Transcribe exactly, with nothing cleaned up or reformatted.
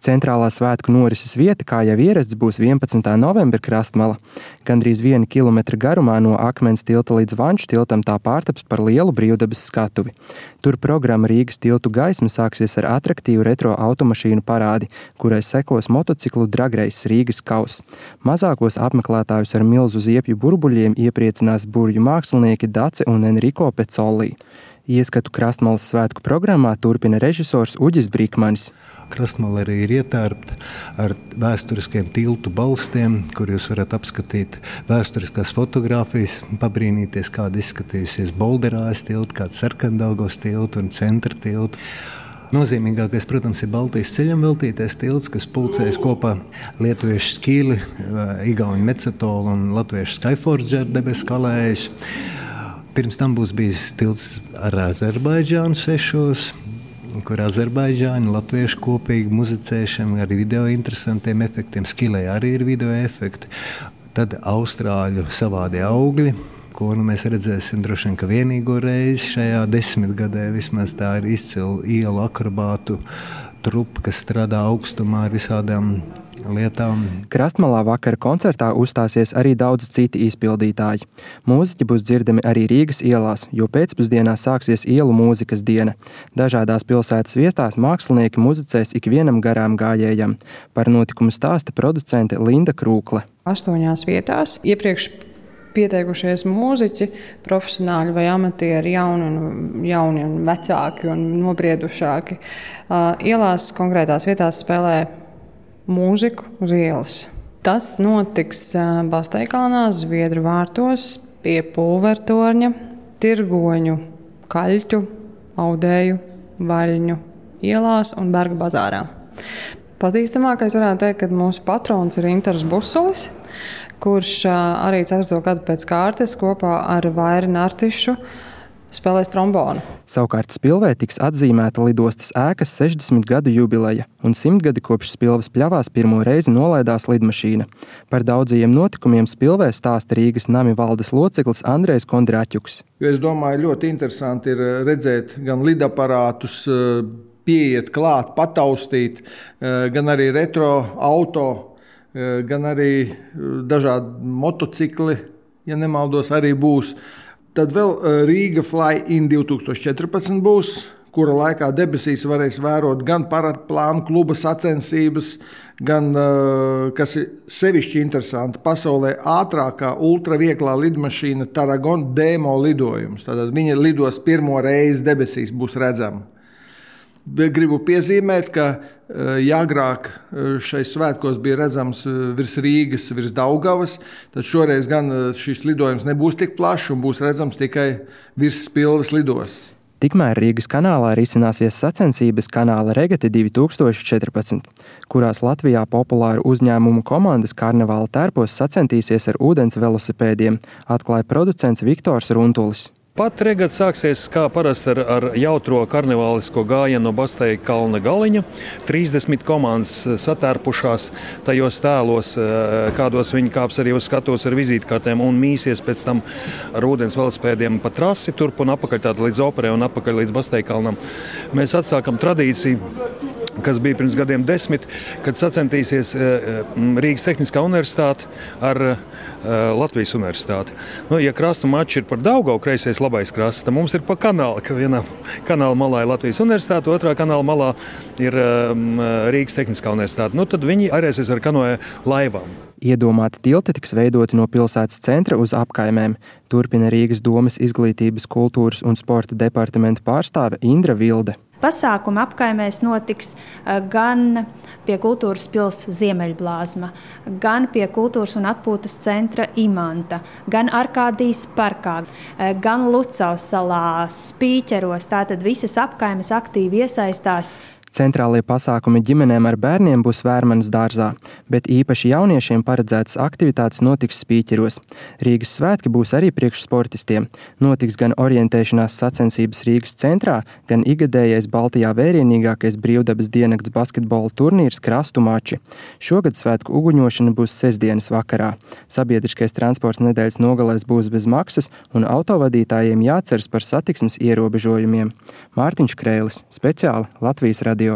Centrālā svētku norises vieta, kā jau ierasts, būs vienpadsmitā novembra Krastmala. Gandrīz viena kilometra garumā no Akmens tilta līdz Vanču tiltam tā pārtaps par lielu brīvdabas skatuvi. Tur programma Rīgas tiltu gaisma sāksies ar atraktīvu retro automašīnu parādi, kurai sekos motociklu dragreis Rīgas kauss. Mazākos apmeklētājus ar milzu ziepju burbuļiem iepriecinās burju mākslinieki Dace un Enrico Pecolli. Ieskatu Krastmalas svētku programmā turpina režisors Uģis Brikmanis. Krastmala arī ir ietērpta ar vēsturiskiem tiltu balstiem, kur jūs varat apskatīt vēsturiskās fotogrāfijas, pabrīnīties, kāda izskatījusies Bolderājas tilta, kāda Sarkandaugavas tilta un Centra tilta. Nozīmīgākais, protams, ir Baltijas ceļam veltītais tilts, kas pulcējas kopā lietuviešu Skīli, igauņu Mecatolu un latviešu Skyforger debesu kalējus. Pirms tam būs bijis tilts ar Azerbaidžānu sešos, kur Azerbaidžāņi latvieši kopīgi muzicēšana ar video interesantiem efektiem. Skilē arī ir video efekti. Tad austrāļu savādi augļi, ko nu mēs redzēsim droši vien, ka vienīgo reizi šajā desmitgadē vismaz tā ir izcila ielu akrobātu trupa, kas strādā augstumā ar visādām lietām. Krastmalā vakara koncertā uzstāsies arī daudz citi izpildītāji. Mūziķi būs dzirdami arī Rīgas ielās, jo pēcpusdienā sāksies ielu mūzikas diena. Dažādās pilsētas vietās mākslinieki muzicēs ikvienam garām gājējam. Par notikumu stāsta producente Linda Krūkle. Astoņās vietās iepriekš pieteikušies mūziķi, profesionāļi vai amatieri, jauni un, jauni un vecāki un nobriedušāki. Ielās konkrētās vietās spēlē mūziku uz ielas. Tas notiks Basteikalnā, Zviedru vārtos, pie Pulvertorņa, Tirgoņu, Kaļķu, Audēju, Vaļņu ielās un Berga bazārā. Pazīstamākais varētu teikt, ka mūsu patrons ir Intars Busulis, kurš arī ceturto gadu pēc kārtas kopā ar Vairi Nartišu spēlēs trombonu. Savukārt Spilvē tiks atzīmēta lidostas ēkas sešdesmit gadu jubileja un simt gadi kopš Spilves pļavās pirmo reizi nolaidās lidmašīna. Par daudzajiem notikumiem Spilvē stāsta Rīgas nami valdes loceklis Andrejs Kondraķuks. Es domāju, ļoti interesanti ir redzēt gan lidaparātus, pieiet klāt, pataustīt, gan arī retro auto, gan arī dažādi motocikli, ja nemaldos, arī būs. Tad vēl Rīga Fly-in divtūkstoš četrpadsmit būs, kura laikā debesīs varēs vērot gan paradplānu kluba sacensības, gan, kas ir sevišķi interesanti, pasaulē ātrākā ultravieglā lidmašīna Tarragona demo lidojums. Tātad viņa lidos pirmo reizi debesīs, būs redzama. Gribu piezīmēt, ka ja agrāk šais svētkos bija redzams virs Rīgas, virs Daugavas, tad šoreiz gan šis lidojums nebūs tik plašs un būs redzams tikai virs Spilves lidostas. Tikmēr Rīgas kanālā risināsies sacensības kanāla regate divtūkstoš četrpadsmit, kurās Latvijā populāru uzņēmumu komandas karnevāla tērpos sacentīsies ar ūdens velosipēdiem, atklāja producents Viktors Runtulis. Pat regata sāksies kā parasti ar, ar jautro karnevālisko gājienu no Basteikalna galiņa. trīsdesmit komandas satērpušās tajos tēlos, kādos viņi kāps arī uz skatuves ar vizītkartēm un mīsies pēc tam ar ūdens velosipēdiem pa trasi turp un apakaļ tātad līdz operē un apakaļ līdz Basteikalnam. Mēs atsākam tradīciju, kas bija pirms gadiem desmit, kad sacentīsies Rīgas Tehniskā universitāte ar Latvijas universitāti. Nu, ja krastu mači ir par Daugavu, kreisais labais krasts, tad mums ir pa kanālu, ka vienā kanāla malā ir Latvijas universitāte, otrā kanāla malā ir um, Rīgas Tehniskā universitāte. Nu, tad viņi arēsies ar kanoja laivām. Iedomāti tilti tiks veidoti no pilsētas centra uz apkaimēm, turpina Rīgas domes izglītības, kultūras un sporta departamenta pārstāve Indra Vilde. Pasākuma apkaimēs notiks gan pie Kultūras pils Ziemeļblāzma, gan pie Kultūras un atpūtas centra Imanta, gan Arkādijas parkā, gan Lucavas salā, Spīķeros. Tātad visas apkaimes aktīvi iesaistās. Centrālie pasākumi ģimenēm ar bērniem būs Vērmanas dārzā, bet īpaši jauniešiem paredzētas aktivitātes notiks Spīķeros. Rīgas svētki būs arī priekš sportistiem. Notiks gan orientēšanās sacensības Rīgas centrā, gan igadējais Baltijā vērienīgākais brīvdabas diennakts basketbola turnīrs Krastu mači. Šogad svētku uguņošana būs sestdienas vakarā. Sabiedriskais transports nedēļas nogalēs būs bez maksas un autovadītājiem jāceras par satiksmes ierobežojumiem. Mārtiņš Kreilis, speciāli Latvijas radio.